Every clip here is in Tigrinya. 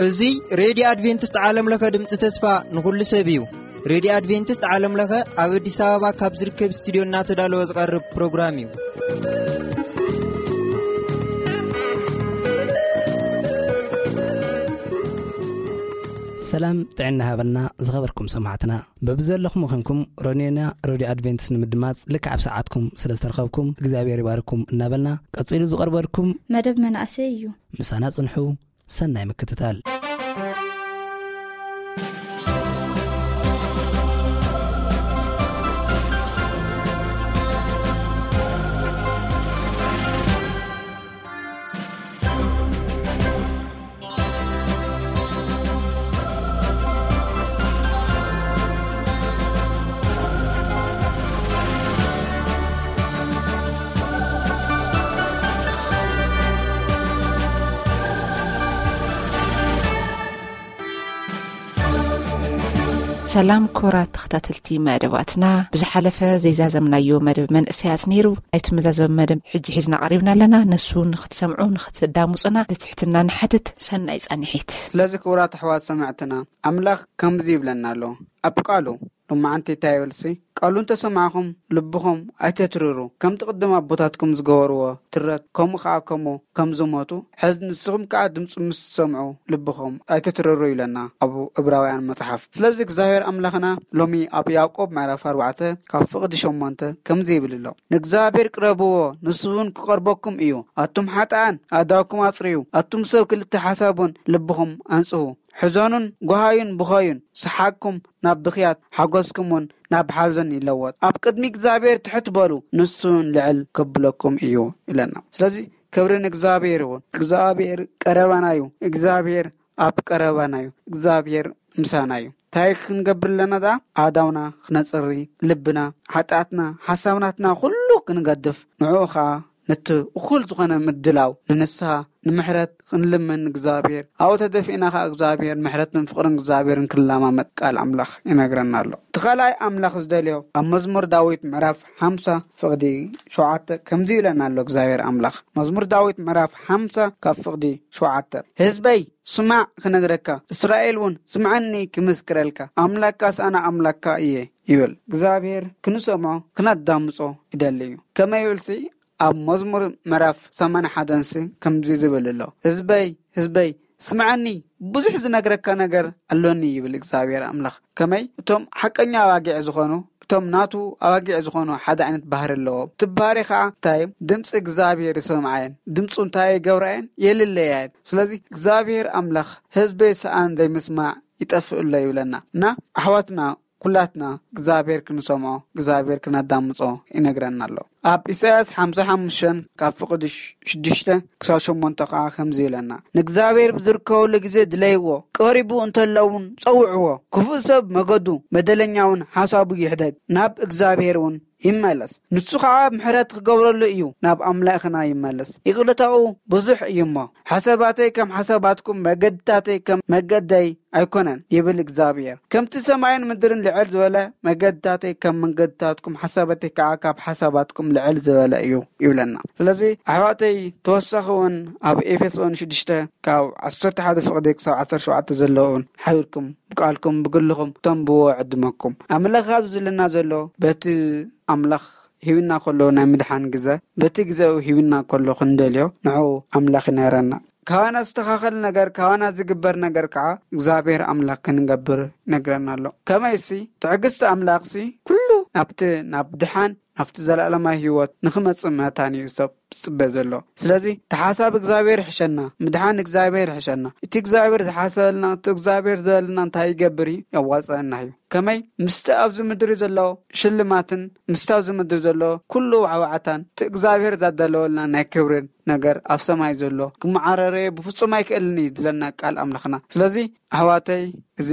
እዚ ሬድዮ ኣድቬንቲስት ዓለም ለኸ ድምፂ ተስፋ ንኹሉ ሰብ እዩ። ሬድዮ ኣድቬንቲስት ዓለም ለኸ ኣብ ኣዲስ ኣበባ ካብ ዝርከብ ስቱዲዮ እናተዳለወ ዝቐርብ ፕሮግራም እዩ። ሰላም ጥዕና ሃበልና ዝኸበርኩም ሰማዕትና። በብዘለኹም ኾንኩም ሮኔና ሬድዮ ኣድቬንቲስት ንምድማፅ ልክዕ ኣብ ሰዓትኩም ስለ ዝተረኸብኩም እግዚኣብሔር ይባርኩም እናበልና፣ ቀፂሉ ዝቐርበልኩም መደብ መናእሰይ እዩ። ምሳና ጽንሑ። ሰናይ ምክትታል። ሰላም ክቡራት ተኸታተልቲ መደባትና፣ ብዝሓለፈ ዘይዛዘምናዮ መደብ መንእሰያት ነይሩ። ናይቲ መዛዘሚ መደብ ሕጂ ሒዝና ቀሪብና ኣለና። ነሱ ንኽትሰምዑ፣ ንኽትዳምጹና ብትሕትና ንሓትት። ሰናይ ጻንሒት። ስለዚ ክቡራት ኣሕዋት ሰማዕትና፣ ኣምላኽ ከምዚ ይብለና ኣሎ ኣብ ቃሉ። ሎማዓንቲ እንታይ ይብልሲ? ቃሉ እንተሰማዕኹም ልብኹም ኣይተትርሩ፣ ከምቲ ቅድም ኣቦታትኩም ዝገበርዎ ትረት፣ ከምኡ ኸዓ ከምኡ ከም ዝሞቱ፣ ሕዚ ንስኹም ከኣ ድምፁ ምስ ትሰምዑ ልብኹም ኣይተትርሩ ይብለና ኣብ ዕብራውያን መጽሓፍ። ስለዚ እግዚኣብሔር ኣምላኽና ሎሚ ኣብ ያዕቆብ ምዕራፍ ኣርባዕተ ካብ ፍቕዲ ሸሞንተ ከምዚ ይብል ኣሎ፣ "ንእግዚኣብሔር ቅረብዎ፣ ንሱ እውን ክቐርበኩም እዩ። ኣቱም ሓጥኣን ኣእዳውኩም ኣጽርዩ፣ ኣቱም ሰብ ክልተ ሓሳብ እውን ልብኹም ኣንጽሁ። ሕዘኑን ጓሃዩን ብኸዩን፣ ሰሓቅኩም ናብ ብኽያት፣ ሓጎስኩም እውን ናብ ሓዘን ይለወጥ። ኣብ ቅድሚ እግዚኣብሔር ትሕት በሉ፣ ንሱ እውን ልዕል ከብለኩም እዩ" ይብለና። ስለዚ ክብሪ ንእግዚኣብሔር ይኹን። እግዚኣብሔር ቀረባና እዩ። እግዚኣብሔር ኣብ ቀረባና እዩ። እግዚኣብሔር ምሳና እዩ። እንታይ ክንገብር ኣለና ደኣ? ኣእዳውና ክነጽሪ፣ ልብና፣ ሓጢኣትና፣ ሓሳብናትና ኩሉ ክንገድፍ፣ ንዕኡ ኸኣ ነቲ እኹል ዝኾነ ምድላው ንንስሓ፣ ንምሕረት ክንልምን እግዚኣብሔር፣ ኣብኡ ተደፊእና ኸኣ እግዚኣብሔር ምሕረትን ፍቕርን እግዚኣብሔርን ክንለማመድ ቃል ኣምላኽ ይነግረና ኣሎ። እቲ ካልኣይ ኣምላኽ ዝደልዮ ኣብ መዝሙር ዳዊት ምዕራፍ ሓምሳ ፍቕዲ ሸውዓተ ከምዚ ይብለና ኣሎ እግዚኣብሔር ኣምላኽ። መዝሙር ዳዊት ምዕራፍ ሓምሳ ካብ ፍቕዲ ሸውዓተ፣ "ህዝበይ ስማዕ ክነግረካ፣ እስራኤል እውን ስምዓኒ ክምስክረልካ፣ ኣምላክካስ ኣነ ኣምላክካ እየ" ይብል። እግዚኣብሔር ክንሰምዖ ክነዳምጾ ይደሊ እዩ። ከመይ ይብልሲ ኣብ መዝሙር ምዕራፍ ሰማንያ ሓደንሲ ከምዚ ዝብል ኣሎ፣ "ህዝበይ፣ ህዝበይ፣ ስምዓኒ፣ ብዙሕ ዝነግረካ ነገር ኣሎኒ" ይብል እግዚኣብሔር ኣምላኽ። ከመይ? እቶም ሓቀኛ ኣባጊዕ ዝኾኑ፣ እቶም ናቱ ኣባጊዕ ዝኾኑ ሓደ ዓይነት ባህሪ ኣለዎም። እቲ ባህሪ ኸዓ እንታይ? ድምፂ እግዚኣብሔር ይሰምዓ እየን። ድምፁ እንታይ ይገብራ እየን? የልለያ እየን። ስለዚ እግዚኣብሔር ኣምላኽ፣ "ህዝበይ ሰኣን ዘይምስማዕ ይጠፍእ ኣሎ" ይብለና። እና ኣሕዋትና፣ ኩላትና እግዚኣብሔር ክንሰምዖ፣ እግዚኣብሔር ክነዳምጾ ይነግረና ኣሎ። ኣብ ኢሳያስ ሓምሳ ሓሙሽተ ካብ ፍቕዲ ሽዱሽተ ክሳብ ሸሞንተ ከኣ ከምዚ ይብለና፣ "ንእግዚኣብሔር ብዝርከበሉ ግዜ ድለይዎ፣ ቀሪቡ እንተሎ እውን ጸውዕዎ። ክፉእ ሰብ መገዱ፣ በደለኛ እውን ሓሳቡ ይሕደግ፣ ናብ እግዚኣብሔር እውን ይመለስ። ንሱ ኸዓ ምሕረት ክገብረሉ እዩ፣ ናብ ኣምላኽና ይመለስ። ይቕረታኡ ብዙሕ እዩ እሞ፣ ሓሳባተይ ከም ሓሳባትኩም፣ መገድታተይ ከም መገደይ ኣይኮነን" ይብል እግዚኣብሔር። "ከምቲ ሰማይን ምድርን ልዕል ዝበለ፣ መገድታተይ ከም መንገድታትኩም፣ ሓሳባተይ ከዓ ካብ ሓሳባትኩም ልዕል ዝበለ እዩ" ይብለና። ስለዚ ኣሕዋተይ፣ ተወሳኺ እውን ኣብ ኤፌሶን ሽዱሽተ ካብ ዓሰርተ ሓደ ፍቕዲ ክሳብ ዓሰርተ ሸውዓተ ዘለውን ሓቢርኩም ብቃልኩም ብግልኹም ተንብዎ ዕድመኩም። ኣምላኽ ኣብዚ ዝብለና ዘሎ በቲ ኣምላኽ ሂብና ከሎ ናይ ምድሓን ግዘ፣ በቲ ግዜኡ ሂብና ከሎ ክንደልዮ ንዕኡ ኣምላኽ ይነግረና። ካባና ዝተኻኸል ነገር፣ ካባና ዝግበር ነገር ከዓ እግዚኣብሔር ኣምላኽ ክንገብር ይነግረና ኣሎ። ከመይሲ ትዕግስቲ ኣምላኽሲ ኩሉ ናብቲ ናብ ድሓን ናብቲ ዘለኣለማዊ ህይወት ንኽመጽእ መታን እዩ ሰብ ዝጽበ ዘሎ። ስለዚ እቲ ሓሳብ እግዚኣብሔር ይሕሸና፣ ምድሓን እግዚኣብሔር ይሕሸና። እቲ እግዚኣብሔር ዝሓሰበልና፣ እቲ እግዚኣብሔር ዝበለና እንታይ ይገብር እዩ? የዋጽአና እዩ። ከመይ? ምስቲ ኣብዚ ምድሪ ዘሎ ሽልማትን ምስቲ ኣብዚ ምድሪ ዘሎ ኩሉ ዋዕዋዕታን እቲ እግዚኣብሔር ዛዳለወልና ናይ ክብርን ነገር ኣብ ሰማይ ዘሎ ክመዓረረየ ብፍጹም ኣይክእልን እዩ ዝብለና ቃል ኣምላኽና። ስለዚ ኣሕዋተይ፣ እዚ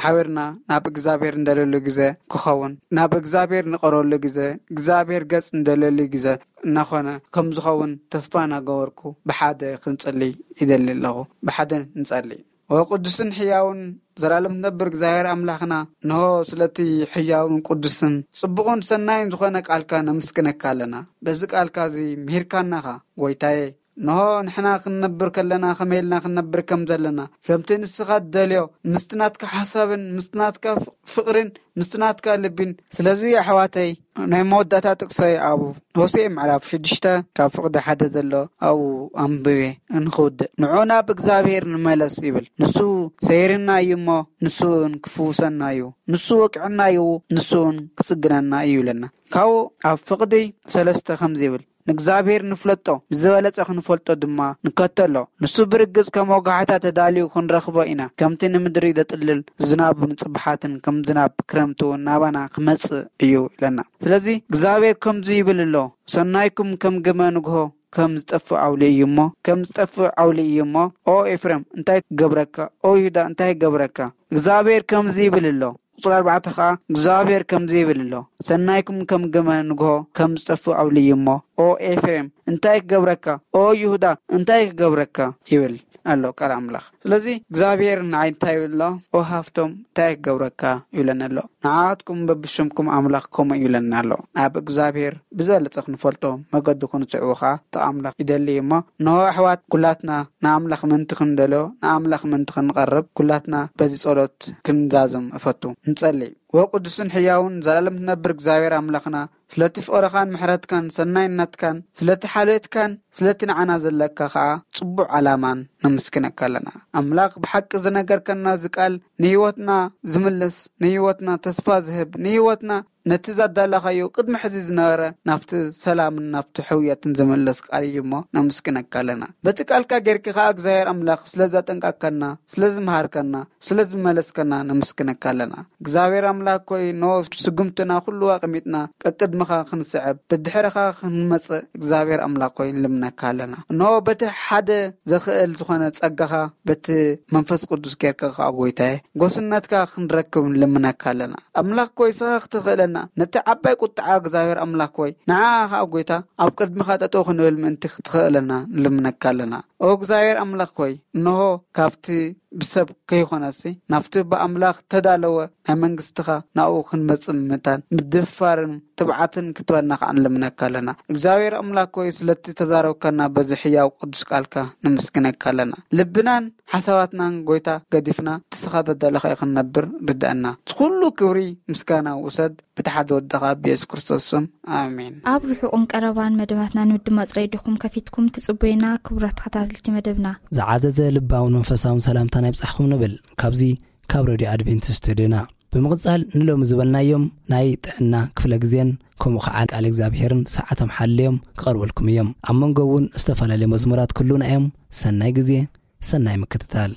ሓቢርና ናብ እግዚኣብሔር እንደለሉ ግዜ ክኸውን፣ ናብ እግዚኣብሔር ንቐረበሉ ግዜ፣ እግዚኣብሔር ገጽ እንደለሉ ግዜ እናኾነ ከም ዝኸውን ተስፋ እናገበርኩ ብሓደ ክንጽሊ ይደሊ ኣለኹ። ብሓደ ንጸሊ። ወቅዱስን ሕያውን ዘላለም ትነብር እግዚኣብሔር ኣምላኽና፣ እንሆ ስለቲ ሕያውን ቅዱስን ጽቡቕን ሰናይን ዝኾነ ቃልካ ነመስግነካ ኣለና። በዚ ቃልካ እዚ ምሂርካናኻ ጎይታዬ። እንሆ ንሕና ክንነብር ከለና ከመይ ኢልና ክንነብር ከም ዘለና፣ ከምቲ ንስኻ ትደልዮ፣ ምስቲ ናትካ ሓሳብን ምስቲ ናትካ ፍ-፣ ፍቕርን ምስቲ ናትካ ልቢን። ስለዚ ኣሕዋተይ፣ ናይ መወዳእታ ጥቅሰይ ኣብ ሆሴዕ ምዕራፍ ሽዱሽተ ካብ ፍቕዲ ሓደ ዘሎ ኣብኡ ኣንብቤ እንክውድእ፣ "ንዑ ናብ እግዚኣብሔር ንመለስ" ይብል። "ንሱ ሰይርና እዩ እሞ፣ ንሱ እውን ክፍውሰና እዩ። ንሱ ወቅዕና እዩ፣ ንሱ እውን ክጽግነና እዩ" ይብለና። ካብኡ ኣብ ፍቕዲ ሰለስተ ከምዚ ይብል፣ "ንእግዚኣብሔር ንፍለጦ፣ ብዝበለጸ ክንፈልጦ ድማ ንከተሎ። ንሱ ብርግጽ ከም ወጋሕታ ተዳልዩ ክንረኽቦ ኢና። ከምቲ ንምድሪ ዘጥልል ዝናብ ንጽብሓትን ከም ዝናብ ክረምቲ እውን ናባና ክመጽእ እዩ" ኢለና። ስለዚ እግዚኣብሔር ከምዚ ይብል ኣሎ፣ "ሰናይኩም ከም ግመ ንግሆ ከም ዝጠፍእ ኣውሊ እዩ እሞ፣ ከም ዝጠፍእ ኣውሊ እዩ እሞ፣ ኦ ኤፍሬም፣ እንታይ ክገብረካ? ኦ ይሁዳ፣ እንታይ ክገብረካ?" እግዚኣብሔር ከምዚ ይብል ኣሎ። ቁጽሪ ኣርባዕተ ኸኣ እግዚኣብሔር ከምዚ ይብል ኣሎ፣ "ሰናይኩም ከም ግመ ንግሆ ከም ዝጠፍእ ኣውሊ እዩ እሞ፣ ኦ ኤፍሬም፣ እንታይ ክገብረካ? ኦ ይሁዳ፣ እንታይ ክገብረካ?" ይብል ኣሎ ቃል ኣምላኽ። ስለዚ እግዚኣብሔር ንዓይ እንታይ ይብል ኣሎ? "ኦ ሃፍቶም፣ እንታይ ክገብረካ?" ይብለኒ ኣሎ። ንዓኻትኩም በብሽምኩም ኣምላኽ ከምኡ ይብለኒ ኣሎ። ናብ እግዚኣብሔር ብዝበለጸ ክንፈልጦ መገዱ ክንስዕቦ ኸኣ እቲ ኣምላኽ ይደሊ እዩ እሞ፣ እንሆ ኣሕዋት፣ ኩላትና ንኣምላኽ ምእንቲ ክንደልዮ፣ ንኣምላኽ ምእንቲ ክንቐርብ፣ ኩላትና በዚ ጸሎት ክንዛዘም እፈቱ። ንጸሊ። ወቅዱስን ሕያውን ዘላለም ትነብር እግዚኣብሔር ኣምላኽና፣ ስለቲ ፍቕርኻን ምሕረትካን ሰናይነትካን፣ ስለቲ ሓልዮትካን ስለቲ ንዓና ዘለካ ኸኣ ጽቡቕ ዓላማን ነመስግነካ ኣለና። ኣምላኽ፣ ብሓቂ ዝነገርከና እዚ ቃል ንህይወትና ዝምልስ፣ ንህይወትና ተስፋ ዝህብ፣ ንህይወትና ነቲ ዛዳላኻዮ ቅድሚ ሕዚ ዝነበረ ናብቲ ሰላምን ናብቲ ሕውየትን ዝምልስ ቃል እዩ እሞ ነመስግነካ ኣለና። በቲ ቃልካ ጌርኪ ኸኣ እግዚኣብሔር ኣምላኽ ስለ ዘጠንቀከና፣ ስለ ዝመሃርከና፣ ስለ ዝመለስከና ነመስግነካ ኣለና። እግዚኣብሔር ኣምላኽ ኮይ፣ ኖ ስጉምትና ኩሉ ኣቐሚጥና ቀቅድምኻ ክንስዕብ፣ ደድሕርኻ ክንመጽእ እግዚኣብሔር ኣምላኽ ኮይ ንልምነካ ኣለና። እንሆ በቲ ሓደ ዘኽእል ዝኾነ ጸጋኻ በቲ መንፈስ ቅዱስ ጌርካ ኸኣ ጎይታዬ፣ ጎስነትካ ክንረክብ ንልምነካ ኣለና። ኣምላኽ ኮይ ስኻ ክትኽእለና፣ ነቲ ዓባይ ቁጥዓ እግዚኣብሔር ኣምላኽ ኮይ፣ ንዓ ኸኣ ጎይታ ኣብ ቅድምኻ ጠጠው ክንብል ምእንቲ ክትኽእለና ንልምነካ ኣለና። ኦ እግዚኣብሔር ኣምላኽ ኮይ፣ እንሆ ካብቲ ብሰብ ከይኾነሲ፣ ናብቲ ብኣምላኽ ተዳለወ ናይ መንግስትኻ ናብኡ ክንመጽእ ምእንታን ምድፍፋርን ትብዓትን ክትበና ከኣ ንልምነካ ኣለና። እግዚኣብሔር ኣምላኽ ኮይ፣ ስለቲ ተዛረብካና በዚ ሕያው ቅዱስ ቃልካ ነመስግነካ ኣለና። ልብናን ሓሳባትናን ጎይታ ገዲፍና፣ እቲ ስኻ ዘዳለኻዮ ክንነብር ርድኣና። እቲ ኩሉ ክብሪ ምስጋና ውሰድ፣ ብቲ ሓደ ወድኻ ብየሱስ ክርስቶስ ስም፣ ኣሜን። ኣብ ርሑቕን ቀረባን መደባትና ንምድማጽ ሬድዮኹም ከፊትኩም ትጽበዩና ክቡራት ተኸታተልቲ መደብና። ዝዓዘዘ ልባውን መንፈሳውን ሰላምታና ይብጻሕኩም ንብል። ካብዚ ካብ ሬድዮ ኣድቬንቲስት ሬድዮና። ብምቕጻል ንሎሚ ዝበልናዮም ናይ ጥዕና ክፍለ ግዜን ከምኡ ኸዓ ቃል እግዚኣብሔርን ሰዓቶም ሓልዮም ክቐርበልኩም እዮም። ኣብ መንጎ እውን ዝተፈላለዩ መዝሙራት ክህሉና እዮም። ሰናይ ግዜ፣ ሰናይ ምክትታል።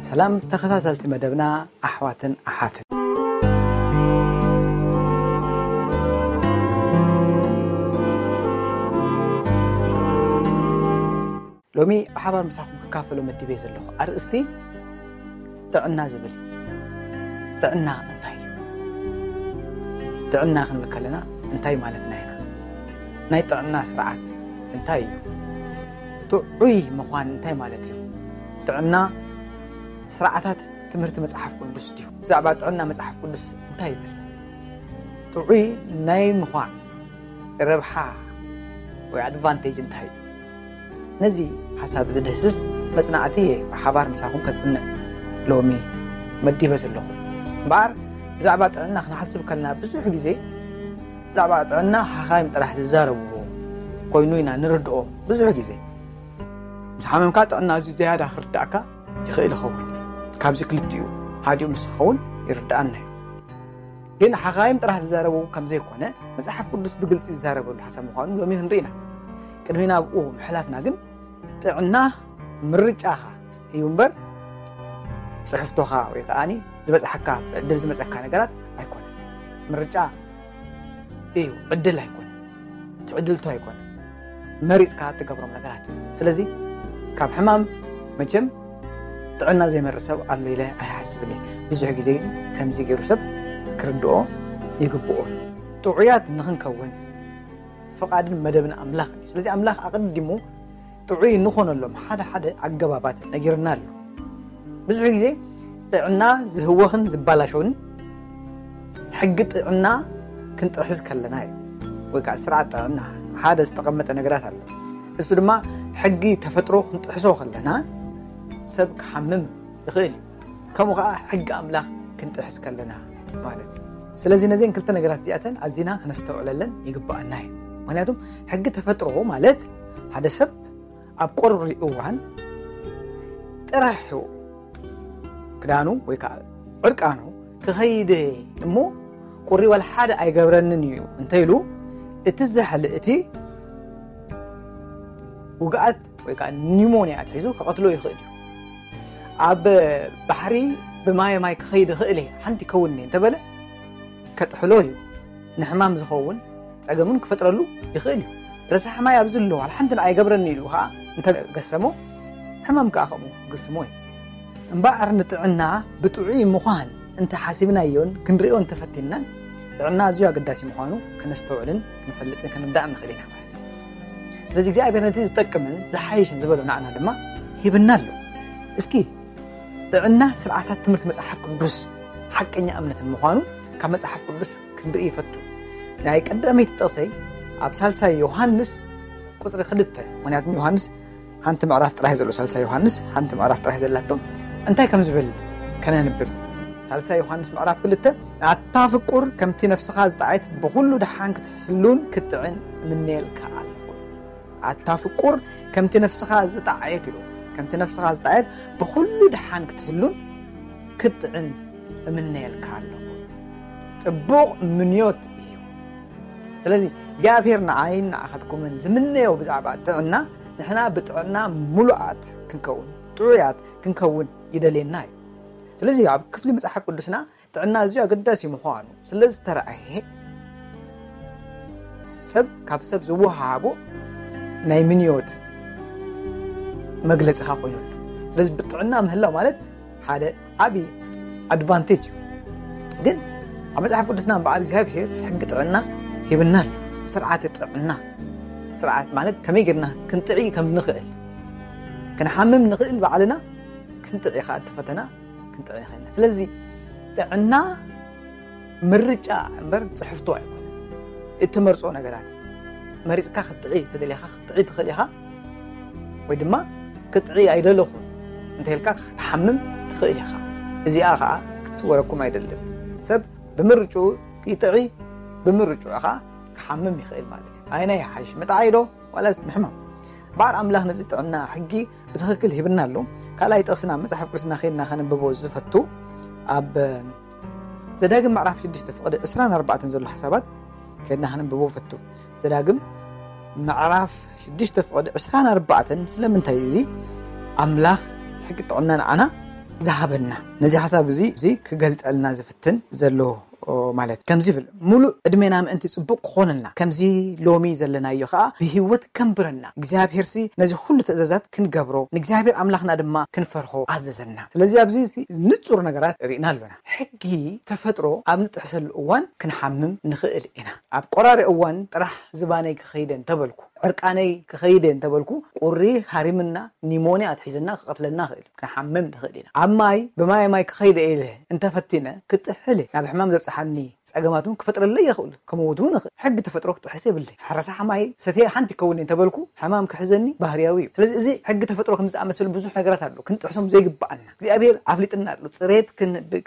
ሰላም ተኸታተልቲ መደብና ኣሕዋትን ኣሓትን። ሎሚ ብሓባር ምሳኹም ክካፈሎ መዲበ ዘለኹ ኣርእስቲ ጥዕና ዝብል እዩ። ጥዕና እንታይ እዩ? ጥዕና ክንብል ከለና እንታይ ማለትና ኢና? ናይ ጥዕና ስርዓት እንታይ እዩ? ጥዑይ ምዃን እንታይ ማለት እዩ? ጥዕና ስርዓታት ትምህርቲ መጽሓፍ ቅዱስ ድዩ? ብዛዕባ ጥዕና መጽሓፍ ቅዱስ እንታይ ይብል? ጥዑይ ናይ ምዃን ረብሓ ወይ ኣድቫንቴጅ እንታይ እዩ? ነዚ ሓሳብ ዝድህስስ መጽናዕቲ እየ ብሓባር ምሳኹም ከጽንዕ ሎሚ መዲበ ዘለኹ። እምበኣር ብዛዕባ ጥዕና ክንሓስብ ከለና ብዙሕ ግዜ ብዛዕባ ጥዕና ሓኻይም ጥራሕ ዝዛረብዎ ኮይኑ ኢና ንርድኦ። ብዙሕ ግዜ ምስ ሓመምካ ጥዕና ኣዝዩ ዝያዳ ክርዳእካ ይኽእል ይኸውን። ካብዚ ክልቲኡ ሓዲኡ ምስ ዝኸውን ይርድኣና እዩ። ግን ሓኻይም ጥራሕ ዝዛረቡ ከም ዘይኮነ መጽሓፍ ቅዱስ ብግልጺ ዝዛረበሉ ሓሳብ ምዃኑ ሎሚ ክንርኢ ኢና። ቅድሚ ናብኡ ምሕላፍና ግን ጥዕና ምርጫኻ እዩ እምበር ጽሕፍቶኻ ወይ ከኣኒ ዝበጽሓካ ዕድል ዝመጸካ ነገራት ኣይኮነን። ምርጫ እዩ፣ ዕድል ኣይኮነን። ትዕድልቱ ኣይኮነን። መሪፅካ እትገብሮም ነገራት እዩ። ስለዚ ካብ ሕማም መቸም ጥዕና ዘይመርፅ ሰብ ኣሎ ኢለ ኣይሓስብን እየ። ብዙሕ ግዜ ከምዚ ገይሩ ሰብ ክርድኦ ይግብኦ እዩ። ጥዑያት ንኽንከውን ፍቓድን መደብን ኣምላኽ እዩ። ስለዚ ኣምላኽ ኣቐዲሙ ጥዑይ እንኾነሎም ሓደ ሓደ ኣገባባት ነጊርና ኣሎ። ብዙሕ ግዜ ጥዕና ዝህወኽን ዝበላሸውን ሕጊ ጥዕና ክንጥሕስ ከለና እዩ። ወይ ከዓ ስርዓት ጥዕና ሓደ ዝተቐመጠ ነገራት ኣሎ። እሱ ድማ ሕጊ ተፈጥሮ ክንጥሕሶ ከለና ሰብ ክሓምም ይኽእል እዩ። ከምኡ ከዓ ሕጊ ኣምላኽ ክንጥሕስ ከለና ማለት እዩ። ስለዚ ነዚን ክልተ ነገራት እዚኣተን ኣዚና ክነስተውዕለለን ይግብኣና እዩ። ምክንያቱም ሕጊ ተፈጥሮ ማለት ሓደ ሰብ ኣብ ቆርሪ እዋን ጥራሕ ክዳኑ ወይ ከዓ ዕርቃኑ ክኸይድ እሞ ቁሪ ዋላ ሓደ ኣይገብረንን እዩ እንተኢሉ እቲ ዘሕል እቲ ውግኣት ወይ ከዓ ኒሞንያ ኣትሒዙ ክቐትሎ ይኽእል እዩ። ኣብ ባሕሪ ብማየ ማይ ክኸይድ ይኽእል እየ ሓንቲ ይከውን እየ እንተበለ ከጥሕሎ እዩ። ንሕማም ዝኸውን ፀገምን ክፈጥረሉ ይኽእል እዩ። ረሳሕ ማይ ኣብዚ ኣለዎ ሓንቲ ንኣይ ገብረኒ ኢሉ ከዓ እንተገሰሞ ሕማም ከዓ ከምኡ ክግስሞ እዩ። እምበኣር ንጥዕና ብጥዑይ ምዃን እንተሓሲብናዮን ክንሪኦ እንተፈቲንናን ጥዕና ኣዝዩ ኣገዳሲ ምዃኑ ከነስተውዕልን ክንፈልጥን ክንርዳእን ንኽእል ኢና ማለት እዩ። ስለዚ እግዚኣብሔር ነቲ ዝጠቅምን ዝሓይሽን ዝበሎ ንዓና ድማ ሂብና ኣሎ። እስኪ ጥዕና ስርዓታት ትምህርቲ መጽሓፍ ቅዱስ ሓቀኛ እምነትን ምዃኑ ካብ መጽሓፍ ቅዱስ ክንርኢ ይፈቱ። ናይ ቀዳመይቲ ጥቕሰይ ኣብ ሳልሳይ ዮሃንስ ቁጽሪ ክልተ፣ ምክንያቱም ዮሃንስ ሓንቲ ምዕራፍ ጥራይ ዘሎ፣ ሳልሳይ ዮሃንስ ሓንቲ ምዕራፍ ጥራይ ዘላቶ እንታይ ከም ዝብል ከነንብብ። ሳልሳይ ዮሃንስ ምዕራፍ ክልተ ኣታ ፍቁር ከምቲ ነፍስኻ ዝጠዓየት ብኹሉ ደሓን ክትሕሉን ክትጥዕን እምነየልካ ኣለኹ። ኣታ ፍቁር ከምቲ ነፍስኻ ዝጠዓየት ኢሉ ከምቲ ነፍስኻ ዝጠዓየት ብኹሉ ደሓን ክትሕሉን ክትጥዕን እምነየልካ ኣለኹ። ጽቡቕ ምንዮት እዩ። ስለዚ እግዚኣብሔር ንዓይን ንዓኻትኩምን ዝምነዮ ብዛዕባ ጥዕና ንሕና ብጥዕና ሙሉኣት ክንከውን ጥዑያት ክንከውን ይደልየና እዩ። ስለዚ ኣብ ክፍሊ መጽሓፍ ቅዱስና ጥዕና ኣዝዩ ኣገዳሲ ምዃኑ ስለ ዝተረኣየ ሰብ ካብ ሰብ ዝወሃቦ ናይ ምንዮት መግለፂኻ ኮይኑሉ። ስለዚ ብጥዕና ምህላው ማለት ሓደ ዓብዪ ኣድቫንቴጅ እዩ። ግን ኣብ መጽሓፍ ቅዱስና እምበኣር እግዚኣብሔር ሕጊ ጥዕና ሂብና ኣሎ። ስርዓተ ጥዕና ስርዓት ማለት ከመይ ጌርና ክንጥዒ ከም ንኽእል ክንሓምም ንኽእል ባዕልና ክንጥዒ ከዓ እቲ ፈተና ክንጥዒ ንኽእል ኢና። ስለዚ ጥዕና ምርጫ እምበር ጽሕፍቶ ኣይኮነ። እትመርጾ ነገራት መሪጽካ ክትጥዒ ተደሊኻ ክትጥዒ ትኽእል ኢኻ፣ ወይ ድማ ክትጥዒ ኣይደለኹን እንተልካ ክትሓምም ትኽእል ኢኻ። እዚኣ ከዓ ክትስወረኩም ኣይደልን። ሰብ ብምርጭኡ ይጥዒ፣ ብምርጭኡ ከዓ ክሓምም ይኽእል ማለት እዩ። ኣይናይ ይሓይሽ ምጥዓይ ዶ ዋላስ ምሕማም? በዓል ኣምላኽ ነዚ ጥዕና ሕጊ ብትኽክል ሂብና ኣሎ። ካልኣይ ጥቕስና መጽሓፍ ቅዱስና ከይድና ከነንብቦ ዝፈቱ ኣብ ዘዳግም ምዕራፍ ሽዱሽተ ፍቕዲ ዕስራን ኣርባዕተን ዘሎ ሓሳባት ከይድና ከነንብቦ ፈቱ። ዘዳግም ምዕራፍ ሽዱሽተ ፍቕዲ ዕስራን ኣርባዕተን ስለምንታይ እዩ እዚ ኣምላኽ ሕጊ ጥዕና ንዓና ዝሃበና? ነዚ ሓሳብ እዚ እዚ ክገልጸልና ዝፍትን ዘሎ ማለት ከምዚ ይብል፣ ሙሉእ ዕድሜና ምእንቲ ጽቡቕ ክኾነልና ከምዚ ሎሚ ዘለናዮ ኸኣ ብህይወት ከንብረና እግዚኣብሔርሲ ነዚ ኩሉ ትእዛዛት ክንገብሮ ንእግዚኣብሔር ኣምላኽና ድማ ክንፈርሆ ኣዘዘና። ስለዚ ኣብዚ ንጹር ነገራት ርኢና ኣሎና። ሕጊ ተፈጥሮ ኣብ ንጥሕሰሉ እዋን ክንሓምም ንኽእል ኢና። ኣብ ቆራሪ እዋን ጥራሕ ዝባነይ ክኸይደ እንተበልኩ፣ ዕርቃነይ ክኸይደ እንተበልኩ ቁሪ ሃሪምና ኒሞንያ ኣትሒዝና ክቐትለና ክእል ክንሓምም ንኽእል ኢና። ኣብ ማይ ብማይ ማይ ክኸይደ ኢለ እንተፈቲነ ክጥሕል እየ። ናብ ሕማም ዘብጽሓኒ ጸገማት እውን ክፈጥረለይ ይኽእል ክመውት እውን ይኽእል። ሕጊ ተፈጥሮ ክጥሕስ የብለይ። ሕረሳ ሓማይ ሰትየ ሓንቲ ይከውን እንተበልኩ ሕማም ክሕዘኒ ባህርያዊ እዩ። ስለዚ እዚ ሕጊ ተፈጥሮ ከም ዝኣመሰሉ ብዙሕ ነገራት ኣሎ ክንጥሕሶም ዘይግብኣና እግዚኣብሔር ኣፍሊጥና ኣሎ። ጽሬት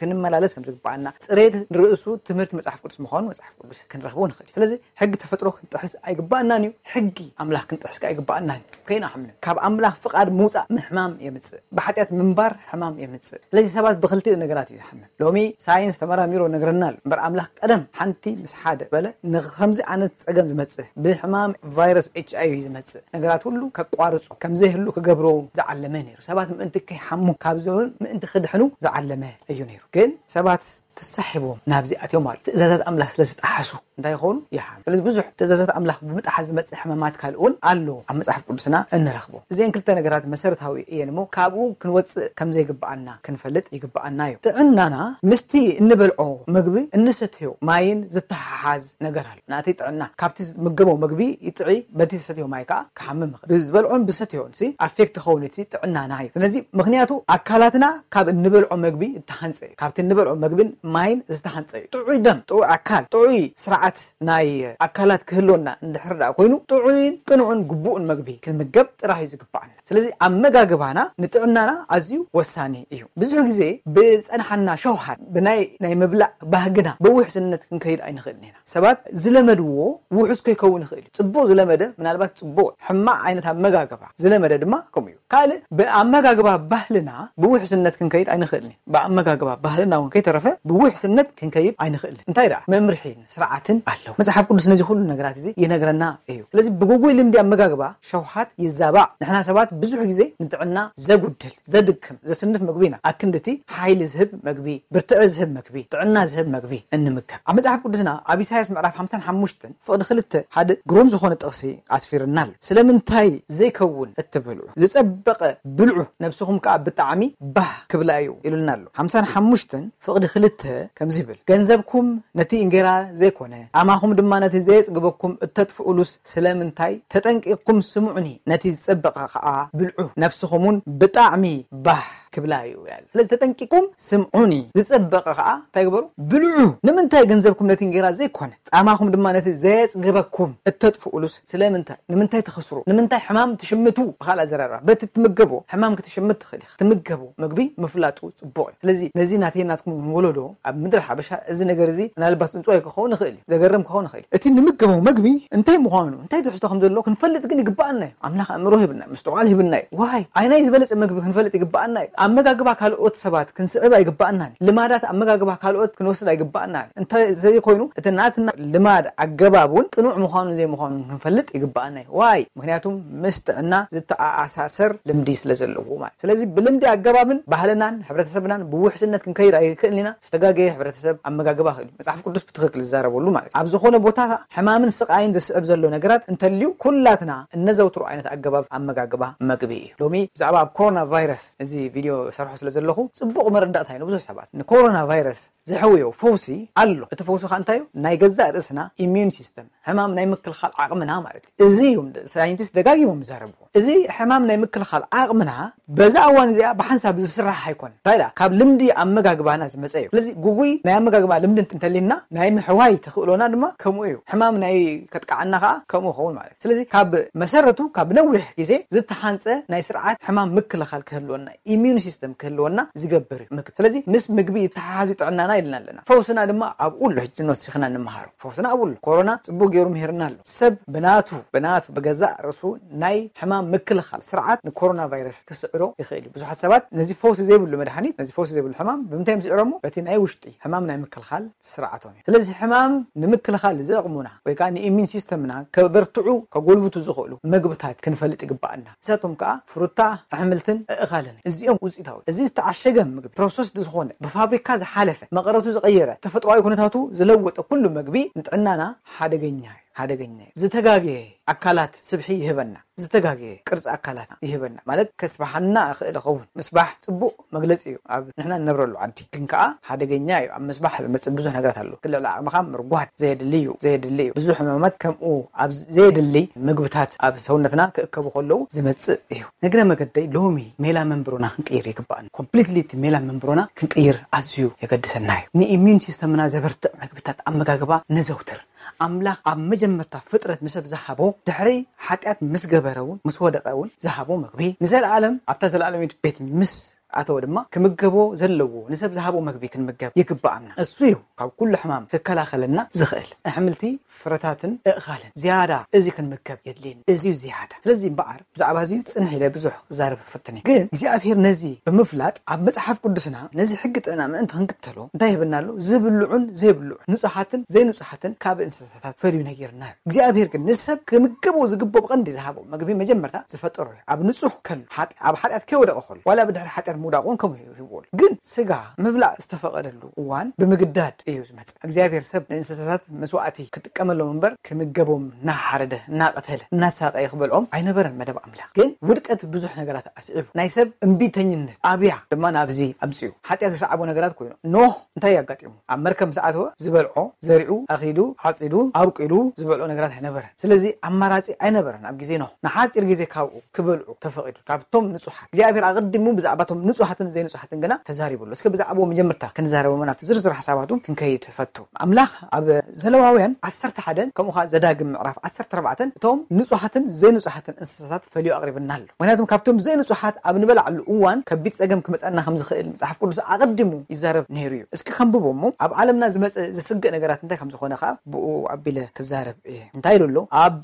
ክንመላለስ ከም ዝግብኣና ጽሬት ንርእሱ ትምህርቲ መጽሓፍ ቅዱስ ምዃኑ መጽሓፍ ቅዱስ ክንረኽቦ ንኽእል። ስለዚ ሕጊ ተፈጥሮ ክንጥሕስ ኣይግባእናን እዩ። ሕጊ ኣምላኽ ክንጥሕስ ከኣ ኣይግባእናን እዩ። ከይንሓምም ካብ ኣምላኽ ፍቓድ ምውጻእ ምሕማም የምጽእ። ብሓጢኣት ምንባር ሕማም የምጽእ። ስለዚ ሰባት ብኽልቲኡ ነገራት እዩ ዝሓምም። ሎሚ ሳይንስ ተመራሚሮ ነግረና ኣሎ እምበር ኣምላኽ ቀደም ሓንቲ ምስ ሓደ በለ ንኸምዚ ዓይነት ጸገም ዝመጽእ ብሕማም ቫይረስ ኤች ኣይ ቪ ዝመጽእ ነገራት ሁሉ ከቋርጾ ከም ዘይህሉ ክገብሮ ዝዓለመ ነይሩ። ሰባት ምእንቲ ከይሓሙ ካብ ዝሆን ምእንቲ ክድሕኑ ዝዓለመ እዩ ነይሩ። ግን ሰባት ተሳሒቦም ናብዚ ኣትዮም ማለት ትእዛዛት ኣምላኽ ስለ ዝጠሓሱ እንታይ ይኾኑ? ይሓም። ስለዚ ብዙሕ ትእዛዛት ኣምላኽ ብምጥሓስ ዝመጽእ ሕማማት ካልእ እውን ኣሎ ኣብ መጽሓፍ ቅዱስና እንረኽቦ። እዚአን ክልተ ነገራት መሰረታዊ እየን እሞ ካብኡ ክንወጽእ ከም ዘይግብኣና ክንፈልጥ ይግብኣና እዩ። ጥዕናና ምስቲ እንበልዖ ምግቢ እንሰትዮ ማይን ዝተሓሓዝ ነገር ኣሎ። ናተይ ጥዕና ካብቲ ዝምገቦ ምግቢ ይጥዒ፣ በቲ ዝሰትዮ ማይ ከዓ ክሓምም ይኽእል። ብዝበልዖን ብሰትዮን ሲ ኣፌክት ክኸውን እቲ ጥዕናና እዩ። ስለዚ ምኽንያቱ ኣካላትና ካብ እንበልዖ ምግቢ እተሃንፀ እዩ። ካብቲ እንበልዖ ምግብን ማይን ዝተሃንፀ እዩ። ጥዑይ ደም፣ ጥዑይ ኣካል፣ ጥዑይ ስርዓት ናይ ኣካላት ክህልወና እንድሕር ደኣ ኮይኑ ጥዑይን ቅኑዕን ግቡእን ምግቢ ክንምገብ ጥራይ እዩ ዝግባኣና። ስለዚ ኣመጋግባና ንጥዕናና ኣዝዩ ወሳኒ እዩ። ብዙሕ ግዜ ብዝጸንሓና ሸውሃት ብናይ ናይ ምብላዕ ባህግና ብውሕስነት ክንከይድ ኣይንኽእልን ኢና። ሰባት ዝለመድዎ ውሑስ ከይከውን ይኽእል እዩ። ጽቡቕ ዝለመደ ምናልባት ጽቡቕ፣ ሕማቕ ዓይነት ኣመጋግባ ዝለመደ ድማ ከምኡ እዩ። ካልእ ብኣመጋግባ ባህልና ብውሕስነት ክንከይድ ኣይንኽእልን ኢና። ብኣመጋግባ ባህልና እውን ከይተረፈ ብውሕስነት ክንከይድ ኣይንኽእልን። እንታይ ደኣ መምርሒ ስርዓትን ኣለዎ። መጽሓፍ ቅዱስ ነዚ ኩሉ ነገራት እዚ ይነግረና እዩ። ስለዚ ብጉጉይ ልምዲ ኣመጋግባ ሸውሃት ይዛባዕ። ንሕና ሰባት ብዙሕ ግዜ ንጥዕና ዘጉድል፣ ዘድክም፣ ዘስንፍ ምግቢ ኢና ኣክንድቲ ሓይሊ ዝህብ ምግቢ፣ ብርትዒ ዝህብ ምግቢ፣ ጥዕና ዝህብ ምግቢ እንምገብ። ኣብ መጽሓፍ ቅዱስና ኣብ ኢሳያስ ምዕራፍ ሓምሳን ሓሙሽተን ፍቕዲ ክልተ ሓደ ግሩም ዝኾነ ጥቕሲ ኣስፊርና ኣሎ። ስለምንታይ ዘይከውን እትበልዑ ዝጸበቐ ብልዑ፣ ነብስኹም ከኣ ብጣዕሚ ባህ ክብላ እዩ ኢሉና ኣሎ። ሓምሳን ሓሙሽተን ፍቕዲ ክልተ ከምዚ ይብል፣ ገንዘብኩም ነቲ እንጌራ ዘይኮነ፣ ጻማኹም ድማ ነቲ ዘየጽግበኩም እተጥፍኡሉስ ስለምንታይ? ተጠንቂቕኩም ስምዑኒ፣ ነቲ ዝጸበቐ ኸኣ ብልዑ፣ ነፍስኹም እውን ብጣዕሚ ባህ ክብላ እዩ ይላል። ስለዚ ተጠንቂቕኩም ስምዑኒ፣ ዝጸበቐ ኸኣ እንታይ ግበሩ? ብልዑ። ንምንታይ ገንዘብኩም ነቲ እንጌራ ዘይኮነ፣ ጻማኹም ድማ ነቲ ዘየጽግበኩም እተጥፍኡሉስ ስለምንታይ? ንምንታይ ትኸስሩ? ንምንታይ ሕማም ትሽምቱ? ብኻልእ ኣዘራርባ፣ በቲ ትምገቦ ሕማም ክትሽምት ትኽእል ኢኻ። ትምገቦ ምግቢ ምፍላጡ ጽቡቕ እዩ። ስለዚ ነዚ ናተይ ናትኩም ወለዶ ኣብ ምድሪ ሓበሻ እዚ ነገር እዚ ምናልባት ጽንጽዋይ ክኸውን ይኽእል እዩ፣ ዘገርም ክኸውን ይኽእል እዩ። እቲ ንምገቦ ምግቢ እንታይ ምዃኑ፣ እንታይ ትሕዝቶ ከም ዘለዎ ክንፈልጥ ግን ይግባኣና እዩ። ኣምላኽ ኣእምሮ ሂብና፣ ምስትውዓል ሂብና እዩ። ዋይ፣ ኣየናይ ዝበለጸ ምግቢ ክንፈልጥ ይግባኣና እዩ። ኣመጋግባ ካልኦት ሰባት ክንስዕብ ኣይግባኣናን እዩ። ልማዳት ኣመጋግባ ካልኦት ክንወስድ ኣይግባኣናን እዩ። እንተ ዘይኮይኑ እቲ ናትና ልማድ ኣገባብ እውን ቅኑዕ ምዃኑን ዘይምዃኑን ክንፈልጥ ይግባኣና እዩ። ዋይ? ምኽንያቱም ምስ ጥዕና ዝተኣሳሰር ልምዲ ስለ ዘለዎ ማለት። ስለዚ ብልምዲ ኣገባብን ባህልናን ሕብረተሰብናን ብውሕስነት ክንከይድ ኣይክእልን ኢና። ዝተጋገየ ሕብረተሰብ ኣመጋግባ ክእል እዩ። መጽሓፍ ቅዱስ ብትኽክል ዝዛረበሉ ማለት እዩ። ኣብ ዝኾነ ቦታ ሕማምን ስቓይን ዘስዕብ ዘሎ ነገራት እንተልዩ ኩላትና እነዘውትሮ ዓይነት ኣገባብ ኣመጋግባ መግቢ እዩ። ሎሚ ብዛዕባ ኣብ ኮሮና ቫይረስ እዚ ቪድዮ ሰርሖ ስለ ዘለኹ ጽቡቕ መረዳእታ እዩ ንብዙሕ ሰባት። ንኮሮና ቫይረስ ዘሕውዮ ፈውሲ ኣሎ። እቲ ፈውሲ ኸኣ እንታይ እዩ? ናይ ገዛእ ርእስና ኢሚዩን ሲስተም፣ ሕማም ናይ ምክልኻል ዓቕምና ማለት እዩ። እዚ እዮም ሳይንቲስት ደጋጊሞም ዝዛረብዎ። እዚ ሕማም ናይ ምክልኻል ዓቕምና በዛ እዋን እዚኣ ብሓንሳብ ዝስራሕ ኣይኮነን። እንታይ ደኣ? ካብ ልምዲ ኣመጋግባና ዝመጸ እዩ። ስለዚ ጉጉይ ናይ ኣመጋግባ ልምዲ እንተሊና ናይ ምሕዋይ ተኽእሎና ድማ ከምኡ እዩ። ሕማም ናይ ከጥቅዓና ኸኣ ከምኡ ይኸውን ማለት እዩ። ስለዚ ካብ መሰረቱ ካብ ነዊሕ ግዜ ዝተሓንጸ ናይ ስርዓት ሕማም ምክልኻል ክህልወና፣ ኢሚዩን ሲስተም ክህልወና ዝገብር እዩ ምግቢ። ስለዚ ምስ ምግቢ ይተሓሓዝ እዩ ጥዕናና ኢልና ኣለና። ፈውስና ድማ ኣብኡ ኣሎ። ሕጂ ንወሲኽና እንመሃሮ ፈውስና ኣብኡ ኣሎ። ኮሮና ጽቡቕ ገይሩ ምሂርና ኣሎ። ሰብ ብናቱ ብናቱ ብገዛእ ርእሱ ናይ ሕማም ምክልኻል ስርዓት ንኮሮና ቫይረስ ክስዕሮ ይኽእል እዩ። ብዙሓት ሰባት ነዚ ፈውሲ ዘይብሉ መድሓኒት፣ ነዚ ፈውሲ ዘይብሉ ሕማም ብምንታይ እዮም ዝስዕሮሞ? በቲ ናይ ውሽጢ ሕማም ናይ ምክልኻል ስርዓቶም እዩ። ስለዚ ሕማም ንምክልኻል ዝጠቕሙና ወይ ከዓ ንኢሚን ሲስተምና ከበርትዑ ከጎልብቱ ዝኽእሉ ምግብታት ክንፈልጥ ይግባኣና። ንሳቶም ከዓ ፍሩታ፣ ኣሕምልትን ኣእኻልን እዚኦም ውፅኢታዊ። እዚ ዝተዓሸገ ምግቢ፣ ፕሮሰስድ ዝኾነ፣ ብፋብሪካ ዝሓለፈ፣ መቐረቱ ዝቐየረ፣ ተፈጥሮኣዊ ኩነታቱ ዝለወጠ ኩሉ ምግቢ ንጥዕናና ሓደገኛ እዩ። ሓደገኛ እዩ። ዝተጋገየ ኣካላት ስብሒ ይህበና። ዝተጋገየ ቅርጺ ኣካላትና ይህበና። ማለት ከስብሓና ይኽእል ይኸውን። ምስባሕ ጽቡቕ መግለጺ እዩ ኣብ ንሕና እንነብረሉ ዓዲ። ግን ከኣ ሓደገኛ እዩ። ኣብ ምስባሕ ዝመጽእ ብዙሕ ነገራት ኣሎ። ክልዕሊ ዓቕምኻ ምርጓድ ዘየድሊ እዩ። ዘየድሊ እዩ። ብዙሕ ሕማማት ከምኡ ኣብ ዘየድሊ ምግብታት ኣብ ሰውነትና ክእከቡ ከለዉ ዝመጽእ እዩ። ንግረ መገደይ ሎሚ ሜላ መንብሮና ክንቅይር ይግባኣና። ኮምፕሊትሊ እቲ ሜላ መንብሮና ክንቅይር ኣዝዩ የገድሰና እዩ። ንኢሚዩን ሲስተምና ዘበርትዕ ምግብታት ኣመጋግባ ነዘውትር። ኣምላኽ ኣብ መጀመርታ ፍጥረት ንሰብ ዝሃቦ፣ ድሕሪ ሓጢኣት ምስ ገበረ እውን፣ ምስ ወደቐ እውን ዝሃቦ መግቢ፣ ንዘለኣለም ኣብታ ዘለኣለማዊት ቤት ምስ ኣተወ ድማ ክምገቦ ዘለዎ ንሰብ ዝሃቦ መግቢ ክንምገብ ይግብኣና። እሱ እዩ ካብ ኩሉ ሕማም ክከላኸለና ዝኽእል። ኣሕምልቲ፣ ፍረታትን ኣእኻልን ዝያዳ እዚ ክንምገብ የድልየኒ። እዚ እዩ ዝያዳ። ስለዚ እምበኣር ብዛዕባ እዚ ጽንሕ ኢለ ብዙሕ ክዛረብ እፍትን እየ። ግን እግዚኣብሔር ነዚ ብምፍላጥ ኣብ መጽሓፍ ቅዱስና ነዚ ሕጊ ጥዕና ምእንቲ ክንክተሎ እንታይ ይህበና ኣሎ? ዝብልዑን ዘይብልዑን፣ ንጹሃትን ዘይንጹሃትን ካብ እንስሳታት ፈልዩ ነጊርና እዩ። እግዚኣብሔር ግን ንሰብ ክምገቦ ዝግብኦ ብቐንዲ ዝሃቦ መግቢ መጀመርታ ዝፈጠሮ እዩ። ኣብ ንጹህ ከሎ፣ ሓጢ-፣ ኣብ ሓጢኣት ከይወደቐ ከሎ፣ ዋላ ብድሕሪ ሓጢኣት ውዳቕ እውን ከምኡ እዩ ሂብዎ ኣሎ። ግን ስጋ ምብላዕ ዝተፈቐደሉ እዋን ብምግዳድ እዩ ዝመጽእ። እግዚኣብሔር ሰብ ንእንስሳታት መስዋእቲ ክጥቀመሎም እምበር ክምገቦም እናሓረደ እናቐተለ እናሳቐየ ክበልዖም ኣይነበረን መደብ ኣምላኽ። ግን ውድቀት ብዙሕ ነገራት ኣስዒቡ ናይ ሰብ እምቢተኝነት ኣብያ ድማ ናብዚ ኣምፅኡ። ሓጢኣት ዝሰዓቦ ነገራት ኮይኑ ኖህ እንታይ ኣጋጢሙ? ኣብ መርከብ ምስ ኣተወ ዝበልዖ ዘሪኡ ኣኺዱ ዓፂዱ ኣብቂሉ ዝበልዖ ነገራት ኣይነበረን። ስለዚ ኣማራፂ ኣይነበረን ኣብ ግዜ ኖህ። ንሓፂር ግዜ ካብኡ ክበልዑ ተፈቒዱ ካብቶም ንጹሓት። እግዚኣብሔር ኣቐዲሙ ብዛዕባቶም ንጹሓትን ዘይንጹሓትን ግና ተዛሪቡ ኣሎ። እስከ ብዛዕባኡ መጀመርታ ክንዛረቦም ናብቲ ዝርዝር ሓሳባቱ ክንከይድ ፈቱ። ኣምላኽ ኣብ ዘለዋውያን ዓሰርተ ሓደን ከምኡ ኸዓ ዘዳግም ምዕራፍ ዓሰርተ ኣርባዕተን እቶም ንጹሓትን ዘይንጹሓትን እንስሳታት ፈልዩ ኣቕሪብና ኣሎ። ምክንያቱም ካብቶም ዘይንጹሓት ኣብ ንበላዕሉ እዋን ከቢድ ጸገም ክመጸና ከም ዝኽእል መጽሓፍ ቅዱስ ኣቐዲሙ ይዛረብ ነይሩ እዩ። እስኪ ከንብቦ እሞ ኣብ ዓለምና ዝመጸ ዘስግእ ነገራት እንታይ ከም ዝኾነ ኸዓ ብኡ ኣቢለ ክዛረብ እየ። እንታይ ኢሉ ኣሎ? ኣብ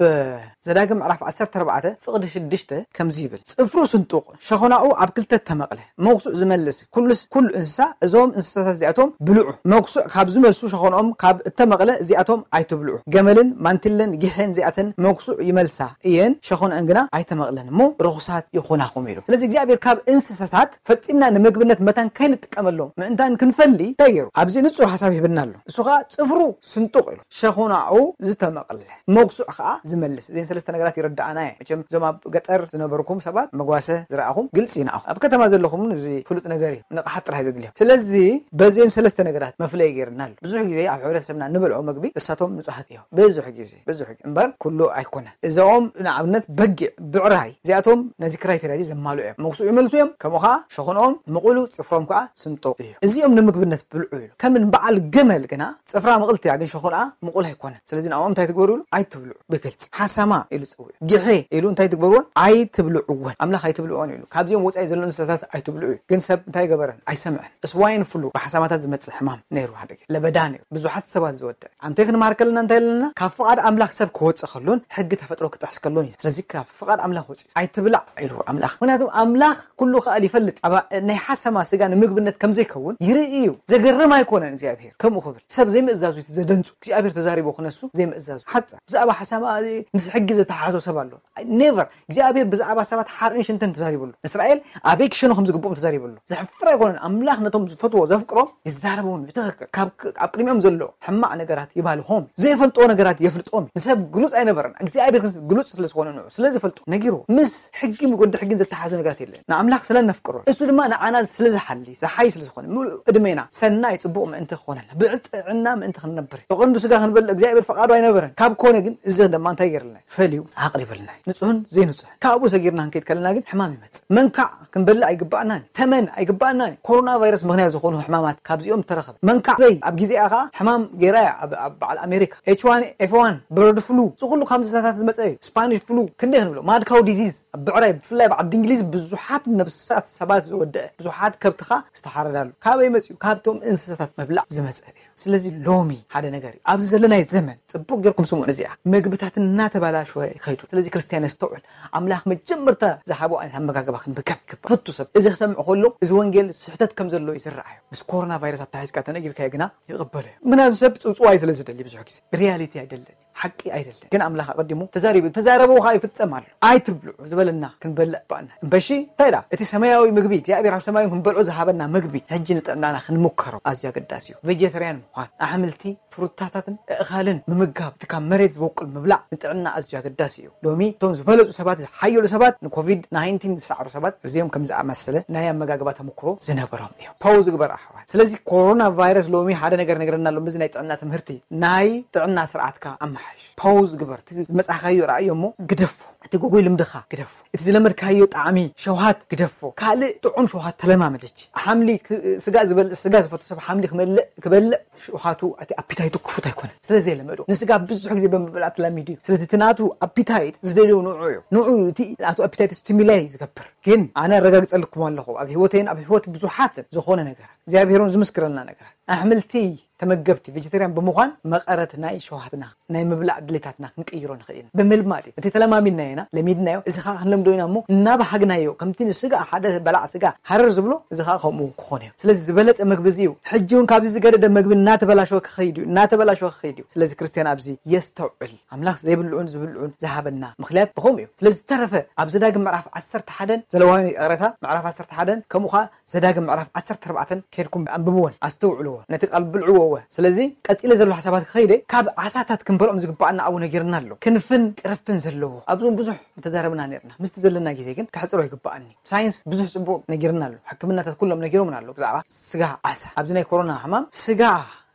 ዘዳግም ምዕራፍ ዓሰርተ ኣርባዕተ ፍቕዲ ሽዱሽተ ከምዚ ይብል፣ ጽፍሩ ስንጡቕ ሸኾናኡ ኣብ ክልተ ተመቕለ፣ መጉሱዕ ዝመልስ ኩሉስ ኩሉ እንስሳ፣ እዞም እንስሳታት እዚኣቶም ብልዑ። መጉሱዕ ካብ ዝመልሱ ሸኾንኦም ካብ እተመቕለ እዚኣቶም ኣይትብልዑ። ገመልን ማንቲለን ጊሐን እዚኣተን መጉሱዕ ይመልሳ እየን፣ ሸኾንአን ግና ኣይተመቕለን እሞ ርኹሳት ይኹናኹም ኢሉ። ስለዚ እግዚኣብሔር ካብ እንስሳታት ፈጺምና ንምግብነት መታን ከይንጥቀመሎም ምእንታን ክንፈሊ እንታይ ገይሩ? ኣብዚ ንጹር ሓሳብ ሂብና ኣሎ። እሱ ኸዓ ጽፍሩ ስንጡቕ ኢሉ ሸኾናኡ ዝተመቕለ መጉሱዕ ኸዓ ዝመልስ። እዘን ሰለስተ ነገራት ይርድኣና እየ። መቸም እዞም ኣብ ገጠር ዝነበርኩም ሰባት መጓሰ ዝረኣኹም ግልጺ እዩ ንኣኹም። ኣብ ከተማ ዘለኹም እውን እዚ ፍሉጥ ነገር እዩ። ንቕሓት ጥራሕ እዩ ዘድልዮም። ስለዚ በዚአን ሰለስተ ነገራት መፍለይ ገይርና ኣሎ። ብዙሕ ግዜ ኣብ ሕብረተሰብና ንበልዖ መግቢ እሳቶም ንጹሃት እዮም። ብዙሕ ግዜ፣ ብዙሕ ግዜ። እምበር ኩሉ ኣይኮነን። እዚኦም ንኣብነት በጊዕ፣ ብዕራይ፣ እዚኣቶም ነዚ ክራይቴርያ እዚ ዘማልኡ እዮም። መጉሱዕ ይመልሱ እዮም። ከምኡ ኸዓ ሸኾንኦም ምቑሉ፣ ጽፍሮም ከኣ ስንጡቕ እዩ። እዚኦም ንምግብነት ብልዑ ኢሉ። ከም በዓል ገመል ግና ጽፍራ ምቕልቲ እያ፣ ግን ሸኾንኣ ምቑል ኣይኮነን። ስለዚ ንዕኦም እንታይ ትግበሩ ኢሉ? ኣይትብልዑ። ብግልጺ ሓሰማ ኢሉ ጸውዑ። ጊሐ ኢሉ እንታይ ትግበርዎን? ኣይትብልዕወን። ኣምላኽ ኣይትብልዕወን ኢሉ። ካብዚኦም ወጻኢ ዘሎ እንስሳታት ኣይትብልዑ እዩ። ግን ሰብ እንታይ ገበረን? ኣይሰምዐን። ስዋይን ፍሉ ብሓሰማታት ዝመጽእ ሕማም ነይሩ ሓደ ግዜ። ለበዳ ነይሩ። ብዙሓት ሰባት ዝወደአ። ኣንታይ ክንመሃር ከለና እንታይ ኣለና? ካብ ፍቓድ ኣምላኽ ሰብ ክወጽእ ከሎን ሕጊ ተፈጥሮ ክጥሕስ ከሎን እዩ። ስለዚ ካብ ፍቓድ ኣምላኽ ወጽኡ። ኣይትብላዕ ኢሉ ኣምላኽ። ምክንያቱ ኣምላኽ ኩሉ ክኣል ይፈልጥ። ኣብ ናይ ሓሰማ ስጋ ንምግብነት ከም ዘይከውን ይርኢ እዩ። ዘገርም ኣይኮነን እግዚኣብሔር ከምኡ ክብል። ሰብ ዘይምእዛዙ እቲ ዘደንጹ። እግዚኣብሔር ተዛሪቡ ክነሱ ዘይምእዛዙ። ሓጻ ብዛዕባ ሓሰማ እዚ ምስ ሕጊ ዘተሓሓዞ ሰብ ኣሎ። ኔቨር። እግዚኣብሔር ብዛዕባ ሰባት ሓርን ሽንትን ተዛሪቡ ኣሎ። እስራኤል ኣበይ ክሸኑ ከም ዝግብኦም ተዛሪቡ ኣሎ። ዘሕፍር ኣይኮነን። ኣምላኽ ነቶም ዝፈትዎ ዘፍቅሮም ይዛረቦም እዩ። ብትኽክል። ካብ ኣብ ቅድሚኦም ዘሎ ሕማቕ ነገራት ይባልሆም። ዘይፈልጥዎ ነገራት የፍልጦም እዩ። ንሰብ ግሉጽ ኣይነበረን። እግዚኣብሔር ግን ግሉጽ ስለ ዝኾነ ንዑ ስለ ዝፈልጦ ነጊርዎ። ምስ ሕጊ ወዲ ሕጊን ዘተሓሓዞ ነገራት የለን። ንኣምላኽ ስለ ነፍቅሮ እሱ ድማ ንዓና ስለ ዝሓሊ ዝሓይ ስለ ዝኾነ ምሉእ ዕድሜና ሰናይ ጽቡቕ ምእንቲ ክኾነልና ብጥዕና ምእንቲ ክንነብር እዩ። ብቐንዱ ስጋ ክንበልዕ እግዚኣብሔር ፈቓዱ ኣይነበረን። ካብ ኮነ ግን እዚ ድማ እንታይ ገይርልና እዩ? ፈልዩ ኣቕሪብልና እዩ። ንጹህን ዘይንጹህን። ካብኡ ሰጊርና ክንከይድ ከለና ግን ሕማም ይመጽእ። መንካዕ ክንበልዕ ኣይግባእናን እዩ። ተመን ኣይግባእናን እዩ። ኮሮና ቫይረስ ምኽንያት ዝኾኑ ሕማማት ካብዚኦም ተረኸበ። መንካዕ በይ ኣብ ግዜኣ ኸዓ ሕማም ገይራ እያ ኣብ ኣብ በዓል ኣሜሪካ። ኤች ዋን ኤፍ ዋን፣ ብረድ ፍሉ፣ እዚ ኩሉ ካብ እንስሳታት ዝመጸ እዩ። ስፓኒሽ ፍሉ ክንደይ ክንብሎ? ማድ ካው ዲዚዝ ኣብ ብዕራይ ብፍላይ በዓል እንግሊዝ ብዙሓት ነብሳት ሰባት ዝወደአ ብዙሓት ከብትኻ ዝተሓረዳሉ ካበይ መጽኡ? ካብቶም እንስሳታት ምብላዕ ዝመጸ እዩ። ስለዚ ሎሚ ሓደ ነገር እዩ። ኣብዚ ዘለናይ ዘመን ጽቡቕ ጌርኩም ስምዑ። እዚኣ ምግብታት እናተባላሸወ ይኸይዱ። ስለዚ ክርስትያን የስተውዕል። ኣምላኽ መጀመርታ ዝሃቦ ዓይነት ኣመጋግባ ክንምገብ ይግባእ። ፍቱ ሰብ እዚ ክሰምዕ ከሎ እዚ ወንጌል ስሕተት ከም ዘሎ እዩ ዝረኣዮ። ምስ ኮሮና ቫይረስ ኣተሓሒዝካ ተነጊርካዮ ግና ይቕበሎ እዩ። ምክንያቱ ሰብ ጽውጽዋይ ስለ ዝደሊ ብዙሕ ግዜ ሪያሊቲ ኣይደልን። ሓቂ ኣይደለን። ግን ኣምላኽ ኣቐዲሙ ተዛሪቡ። ተዛረበው ኸዓ ይፍጸም ኣሎ። ኣይትብልዑ ዝበለና ክንበልዕ ባእና። እምበሺ እንታይ ደኣ? እቲ ሰማያዊ ምግቢ እግዚኣብሔር ኣብ ሰማይ ክንበልዖ ዝሃበና ምግቢ ሕጂ ንጥዕናና ክንምከሮ ኣዝዩ ኣገዳሲ እዩ። ቬጀተርያን ምዃን፣ ኣሕምልቲ፣ ፍሩታታትን ኣእኻልን ምምጋብ፣ እቲ ካብ መሬት ዝበቁል ምብላዕ ንጥዕና ኣዝዩ ኣገዳሲ እዩ። ሎሚ እቶም ዝበለጹ ሰባት፣ ዝሓየሉ ሰባት ንኮቪድ ናይንቲን ዝሰዓሩ ሰባት እዚኦም ከም ዝኣመሰለ ናይ ኣመጋግባ ተመክሮ ዝነበሮም እዮም። ፓውዝ ግበር ኣሕዋት። ስለዚ ኮሮና ቫይረስ ሎሚ ሓደ ነገር ነግረና ኣሎ። እዚ ናይ ጥዕና ትምህርቲ ናይ ጥዕና ስርዓትካ ኣመሓይሽ። ፓውዝ ግበር። እቲ ዝመጻኻዮ ረኣዮ እሞ ግደፎ። እቲ ጎጎይ ልምድኻ ግደፎ። እቲ ዝለመድካዮ ጣዕሚ ሸውሃት ግደፎ። ካልእ ጥዑም ሸውሃት ተለማመድ። ሕጂ ሓምሊ ክ-፣ ስጋ ዝበል-፣ ስጋ ዝፈቱ ሰብ ሓምሊ ክመልእ፣ ክበልዕ ሸውሃቱ እቲ ኣፒታይቱ ክፉት ኣይኮነን። ስለ ዘይለመዶ ንስጋ ብዙሕ ግዜ ብምብላዕ ተላሚዱ እዩ። ስለዚ እቲ ናቱ ኣፒታይት ዝደልዮ ንዑ እዩ። ንዑ እዩ እቲ ናቱ ኣፒታይት ስቲሙላይ ዝገብር። ግን ኣነ ኣረጋግጸልኩም ኣለኹ ኣብ ህይወተይን ኣብ ህይወት ብዙሓትን ዝኾነ ነገር እግዚኣብሔር እውን ዝምስክረልና ነገራት ኣሕምልቲ ተመገብቲ ቬጀተርያን ብምዃን መቐረት ናይ ሸውሃትና ናይ ምብላዕ ድሌታትና ክንቅይሮ ንኽእል ኢና። ብምልማድ እዩ። እቲ ተለማሚድናዮ ኢና፣ ለሚድናዮ፣ እዚ ኸዓ ክንለምዶ ኢና እሞ እናባሃግናዮ፣ ከምቲ ንስጋ ሓደ በላዕ ስጋ ሃረር ዝብሎ፣ እዚ ኸዓ ከምኡ ክኾን እዩ። ስለዚ ዝበለጸ መግቢ እዚ እዩ። ሕጂ እውን ካብዚ ዝገደደ መግቢ እናተበላሸወ ክኸይድ እዩ፣ እናተበላሸወ ክኸይድ እዩ። ስለዚ ክርስትያን ኣብዚ የስተውዕል። ኣምላኽ ዘይብልዑን ዝብልዑን ዝሃበና ምኽንያት ብኸምኡ እዩ። ስለዚ ዝተረፈ ኣብ ዘዳግም ምዕራፍ ዓሰርተ ሓደን ዘለዋውያን ይቕረታ፣ ምዕራፍ ዓሰርተ ሓደን ከምኡ ኸዓ ዘዳግም ምዕራፍ ዓሰርተ ኣርባዕተን ከይድኩም ኣንብብወን፣ ኣስተውዕልዎ፣ ነቲ ቃል ብልዕዎ እወ። ስለዚ ቀጺለ ዘሎ ሓሳባት ክኸይደ ካብ ዓሳታት ክንበልዖም ዝግብኣና ኣብኡ ነጊርና ኣሎ። ክንፍን ቅርፍትን ዘለዎ ኣብዞም ብዙሕ ምተዛረብና ነርና። ምስቲ ዘለና ግዜ ግን ከሕጽሮ ይግብኣኒ። ሳይንስ ብዙሕ ጽቡቕ ነጊርና ኣሎ። ሕክምናታት ኩሎም ነጊሮምና ኣሎ ብዛዕባ ስጋ ዓሳ። ኣብዚ ናይ ኮሮና ሕማም ስጋ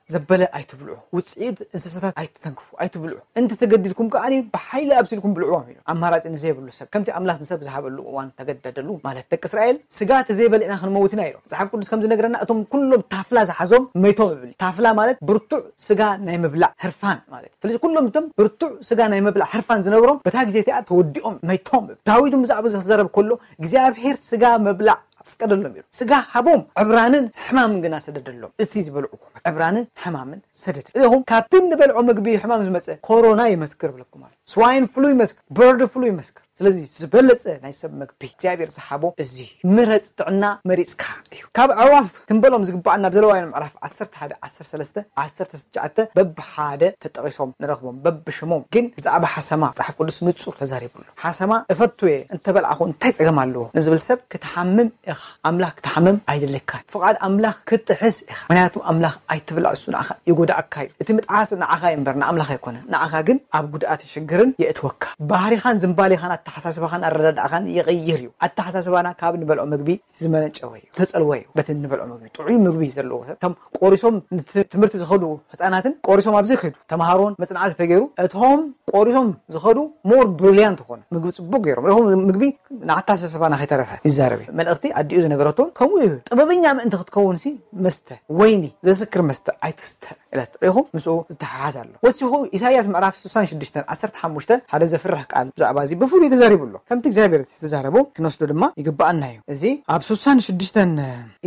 ዘበለ ኣይትብልዑ፣ ውጽኢት እንስሳታት ኣይትተንክፉ፣ ኣይትብልዑ። እንተ ተገዲድኩም ከኣ ብሓይሊ ኣብሲልኩም ብልዕዎም ኢሉ። ኣማራጺ ንዘይብሉ ሰብ፣ ከምቲ ኣምላኽ ንሰብ ዝሃበሉ እዋን ተገደደሉ ማለት። ደቂ እስራኤል ስጋ ተዘይበሊዕና ክንመውት ኢና ኢሎም። መጽሓፍ ቅዱስ ከም ዝነግረና እቶም ኩሎም ታፍላ ዝሓዞም መይቶም እብል። ታፍላ ማለት ብርቱዕ ስጋ ናይ ምብላዕ ህርፋን ማለት። ስለዚ ኩሎም እቶም ብርቱዕ ስጋ ናይ ምብላዕ ህርፋን ዝነበሮም በታ ግዜ እቲኣ ተወዲኦም መይቶም እብል። ዳዊት ብዛዕባ እዚ ክዛረብ ከሎ እግዚኣብሔር ስጋ ምብላዕ ኣፍቀደሎም ኢሉ። ስጋ ሃቦም ዕብራንን ሕማምን ግና ሰደደሎም። እቲ ዝበልዕዎ ዕብራንን ሕማምን ሰደደ። ኢኹም ካብቲ እንበልዖ ምግቢ ሕማም ዝመጸ ኮሮና ይመስክር ብለኩም ኣሎ። ስዋይን ፍሉ ይመስክር፣ በርድ ፍሉ ይመስክር። ስለዚ ዝበለጸ ናይ ሰብ ምግቢ እግዚኣብሔር ዝሃቦ እዚ እዩ። ምረጽ ጥዕና መሪጽካ እዩ። ካብ ኣዕዋፍ ክንበሎም ዝግባኣና ኣብ ዘለዋውያን ምዕራፍ ዓሰርተ ሓደ ዓሰርተ ሰለስተ ዓሰርተ ትሽዓተ በብሓደ ተጠቒሶም ንረኽቦም በብሽሞም። ግን ብዛዕባ ሓሰማ መጽሓፍ ቅዱስ ንጹር ተዛሪቡ ኣሎ። ሓሰማ እፈቱ እየ እንተበላዕኹ እንታይ ጸገም ኣለዎ ንዝብል ሰብ ክትሓምም ኢኻ። ኣምላኽ ክትሓምም ኣይደለካን። ፍቓድ ኣምላኽ ክትጥሕስ ኢኻ። ምክንያቱ ኣምላኽ ኣይትብላዕ፣ እሱ ንዓኻ ይጎዳእካ እዩ። እቲ ምጥሓስ ንዓኻ እዩ እምበር ንኣምላኽ ኣይኮነን። ንዓኻ ግን ኣብ ጉድኣትን ሽግርን የእትወካ። ባህሪኻን ዝንባሌኻን ኣተሓሳስባኻን ኣረዳድኣኻን ይቕይር እዩ። ኣተሓሳስባና ካብ ንበልዖ ምግቢ ዝመነጨወ እዩ፣ ዝተጸልወ እዩ። በቲ ንበልዖ ምግቢ ጥዑይ ምግቢ ዘለዎ ሰብ ከም ቆሪሶም ንቲ-፣ ትምህርቲ ዝኸዱ ህጻናትን ቆሪሶም ኣብዚ ይኸዱ ተምሃሮን መጽናዕቲ ተገይሩ እቶም ቆሪሶም ዝኸዱ ሞር ብሪሊያንት ኾነ ምግቢ ጽቡቅ ገይሮም። ኢኹም ምግቢ ንኣተሓሳስባና ከይተረፈ ይዛረብ እዩ። መልእኽቲ ኣዲኡ ዝነገረቶ እውን ከምኡ እዩ። ጥበበኛ ምእንቲ ክትከውን ሲ መስተ ወይኒ ዘስክር መስተ ኣይትስተ ኢላቶ። ኢኹም ምስኡ ዝተሓሓዝ ኣሎ። ወሲኹ ኢሳይያስ ምዕራፍ ስሳን ሽዱሽተን ዓሰርተ ሓሙሽተ ሓደ ዘፍርሕ ቃል ብዛዕባ እዚ ብፍሉይ ተዛሪቡ ኣሎ። ከምቲ እግዚኣብሔር ዝተዛረቦ ክንወስዶ ድማ ይግብኣና እዩ። እዚ ኣብ ስሳን ሽዱሽተን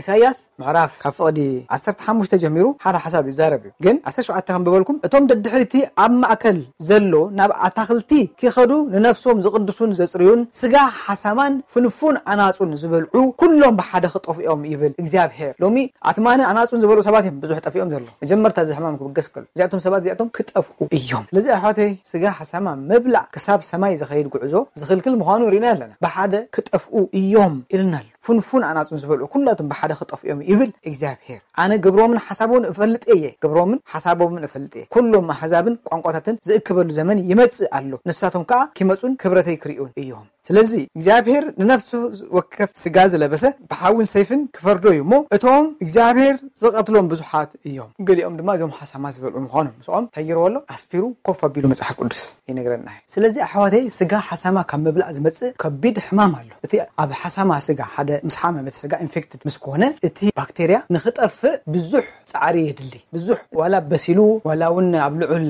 ኢሳይያስ ምዕራፍ ካብ ፍቕዲ ዓሰርተ ሓሙሽተ ጀሚሩ ሓደ ሓሳብ ይዛረብ እዩ። ግን ዓሰርተ ሸውዓተ ከንብበልኩም፣ እቶም ደድሕሪቲ ኣብ ማእከል ዘሎ ናብ ኣታኽልቲ ኪኸዱ ንነፍሶም ዝቕድሱን ዘጽርዩን ስጋ ሓሳማን ፍንፉን ኣናጹን ዝበልዑ ኩሎም ብሓደ ክጠፍኡ እዮም ይብል እግዚኣብሔር። ሎሚ ኣትማንን ኣናጹን ዝበልዑ ሰባት እዮም ብዙሕ ጠፊኦም ዘሎ። መጀመርታ እዚ ሕማም ክብገስ ከሎ እዚኣቶም ሰባት እዚኣቶም ክጠፍኡ እዮም። ስለዚ ኣሕዋተይ ስጋ ሓሳማ ምብላዕ ክሳብ ሰማይ ዝኸይድ ጉዕዞ ዝኽልክል ምዃኑ ርኢና ኣለና። ብሓደ ክጠፍኡ እዮም ኢልና ኣሎ። ፍንፉን ኣናጹን ዝበልዑ ኩላቶም ብሓደ ክጠፍኡ እዮም ይብል እግዚኣብሔር። ኣነ ግብሮምን ሓሳቦምን እፈልጥ እየ፣ ግብሮምን ሓሳቦምን እፈልጥ እየ። ኩሎም ኣሕዛብን ቋንቋታትን ዝእክበሉ ዘመን ይመጽእ ኣሎ፣ ንሳቶም ከኣ ኪመጹን ክብረተይ ክርእዩን እዮም። ስለዚ እግዚኣብሔር ንነፍሱ ወከፍ ስጋ ዝለበሰ ብሓውን ሰይፍን ክፈርዶ እዩ እሞ፣ እቶም እግዚኣብሔር ዝቐትሎም ብዙሓት እዮም። ገሊኦም ድማ እዞም ሓሳማ ዝበልዑ ምዃኖም ምስኦም ተይርዎ ኣሎ፣ ኣስፊሩ ኮፍ ኣቢሉ መጽሓፍ ቅዱስ ይነግረና እዩ። ስለዚ ኣሕዋተይ ስጋ ሓሳማ ካብ ምብላዕ ዝመጽእ ከቢድ ሕማም ኣሎ። እቲ ኣብ ሓሳማ ስጋ ሓደ ምስ ሓመመ እቲ ስጋ ኢንፌክትድ ምስ ኮነ እቲ ባክቴርያ ንኽጠፍእ ብዙሕ ጻዕሪ የድሊ። ብዙሕ ዋላ በሲሉ ዋላ እውን ኣብ ልዑል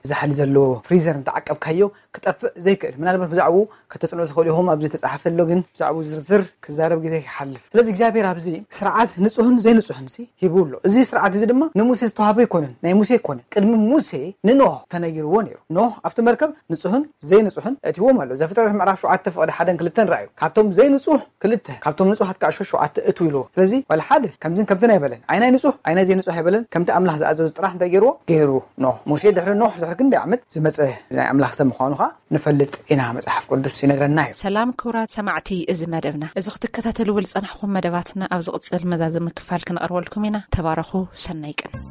ዛሕሊ ዘሎ ፍሪዘር እንተዓቀብካዮ ክጠፍእ ዘይክእል። ምናልባት ብዛዕባኡ ከተጽንዑ ትኽእሉ ኢኹም። ኣብዚ ተጻሓፈ ኣሎ፣ ግን ብዛዕባኡ ዝርዝር ክዛረብ ግዜ ይሓልፍ። ስለዚ እግዚኣብሔር ኣብዚ ስርዓት ንጹህን ዘይንጹህን ሲ ሂቡ ኣሎ። እዚ ስርዓት እዚ ድማ ንሙሴ ዝተዋህበ ኣይኮነን፣ ናይ ሙሴ ኣይኮነን። ቅድሚ ሙሴ ንኖህ ተነጊርዎ ነይሩ። ኖህ ኣብቲ መርከብ ንጹህን ዘይንጹህን እትዎም ኣሎ። ዘፍጥረት ምዕራፍ ሸውዓተ ፍቕዲ ሓደን ክልተን ረኣዩ። ካብቶም ዘይንጹህ ክልተ፣ ካብቶም ንጹሃት ከዓ ሸውዓተ እትው ኢልዎ። ስለዚ ዋላ ሓደ ከምዝን ከምትን ኣይበለን። ኣይናይ ንጹህ ኣይናይ ዘይንጹህ ኣይበለን። ከምቲ ኣምላኽ ዝኣዘዙ ጥራሕ እንታይ ገይርዎ? ገይሩ። ኖህ፣ ሙሴ ድሕሪ ኖህ ድሕሪ ክንደይ ዓመት ዝመጸ ናይ ኣምላኽ ሰብ ምዃኑ ከዓ ንፈልጥ ኢና። መጽሓፍ ቅዱስ ይነግረና እዩ። ሰላም ክቡራት ሰማዕቲ እዚ መደብና። እዚ ክትከታተልዎ ዝጸናሕኩም መደባትና ኣብ ዝቕጽል መዛዘሚ ክፋል ክንቐርበልኩም ኢና። ተባረኹ። ሰናይ ቀን።